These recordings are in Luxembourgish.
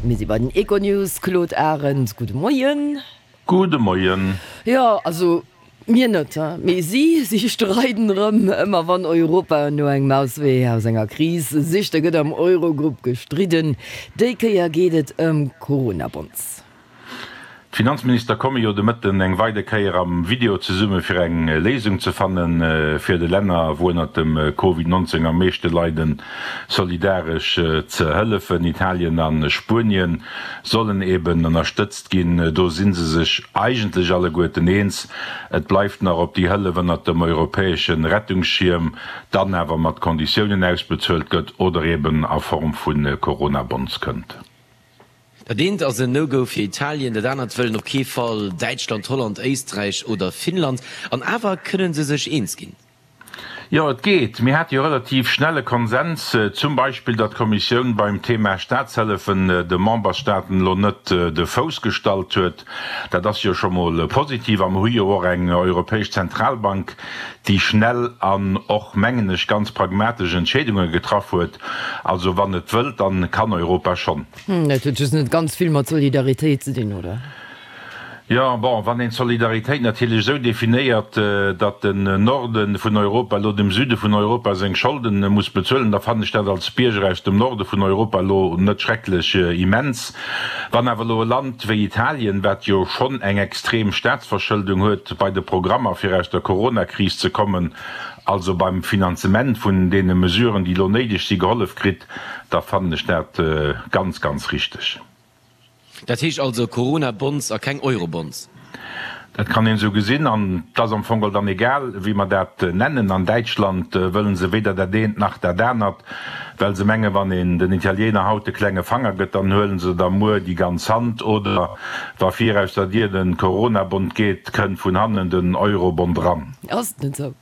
Mir si bei den Econews. Claude Arend, gudde Moien. Gudde Moien. Jo, also mir net, mee si, si streiden erëm. Ëmmer wann Europa no engem Auswee aus enger Kris sicht, da gëtt am Eurogrupp gestridden. Déi Kéier geet et ëm Corona-Bonds. D'Finanzminister komme jo de Mëtten eng weider Kéier am Video zesumme fir eng Léisung ze fannen, fir de Länner, wou ënnert dem Covid 19 am meeschte leiden, solidaresch ze hëllefen. Italien a Spuenien sollen eben ënnerstëtzt ginn. Do si se sech eigentlech alleguerten eens. Et bleift nach, ob déi Hëllef ënnert dem europäesche Rettungsschierm dann awer mat Konditiounen ausbezuelt gëtt oder eben a Form vu Corona-Bonds kënnt. Dat eent ass en No-Go fir Italien, dat anert wëllen op kee Fall Däitschland, Holland, Éisträich oder Finnland. An awer kënne se sech eens ginn. Jo, et geet. Mir hate jo relativ schnell e Konsens, zum Beispill, datt d'Kommissioun beim Thema Staatshëllefen de Memberstaaten elo net de Fouss gestallt huet. Dat ass jo scho mol positiv. A mer hu jo och eng Europäesch Zentralbank, déi schnell an och, mengen ech, ganz pragmatesch Entscheedunge getraff huet. Also wann et wëllt, dann kann Europa schonn. Dat huet just net ganz vill mat Solidaritéit ze dinn, oder? Jo, bon, wann een d'Solidaritéit natierlech esou definéiert, datt den Norde vun Europa elo dem Süde vun Europa seng Scholden muss bezuelen, da fannen ech dat als Bierger aus dem Norde vun Europa elo net schrecklech immens. Wann awer elo e Land wéi Italien, wat jo schonn eng extrem Staatsverschëldung huet, bei de Programmer fir aus der Coronakris ze kommen, also beim Finanzement vun deene Mesuren, déi elo néideg si, gehollef kritt, da fannen ech dat ganz, ganz richteg. Dat heescht also Corona-Bonds a keng Euro-Bonds? Dat kann een esou gesinn an et ass am Fong geholl dann egal, wéi mer dat nennen. An Däitschland wëllen se weder dat eent nach dat anert, well se mengen, wann een den Italiener haut de klenge Fanger gëtt, dann huelen se der muer déi ganz Hand. Oder wa vir aus der Dier de Corona-Bond geet, kënnt vun hannen den Euro-Bond eran. Ass et net esou?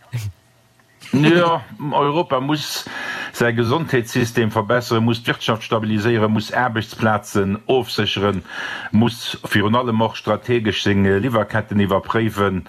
Jo, Europa muss säi Gesondheetssystem verbesseren, muss d'Wirtschaft stabiliséieren, muss Aarbechtsplazen ofsécheren, muss virun allem och strategesch seng Liwwerketten iwwerpréiwen.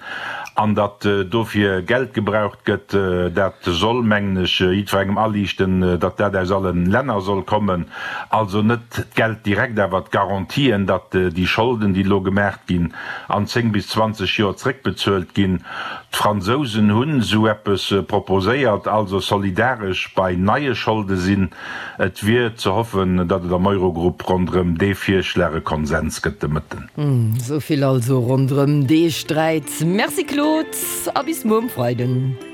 An datt dofir Geld gebraucht gëtt, dat soll, mengen ech, jiddwerengem aliichten, datt dat aus alle Länner soll kommen. Also net d'Geld direkt, awer d'Garantien, datt déi Scholden, déi elo gemaach ginn, an 10 bis 20 Joer zréckbezuelt ginn. D'Fransousen hunn esou eppes proposéiert, also solidaresch bei neie Scholde sinn. Et wier ze hoffen, datt et am Eurogrupp ronderëm dee Virschlag e Konsens gëtt de Mëtten. Esou vill also ronderëm dee Sträit. Merci Claude a bis muer um Freiden.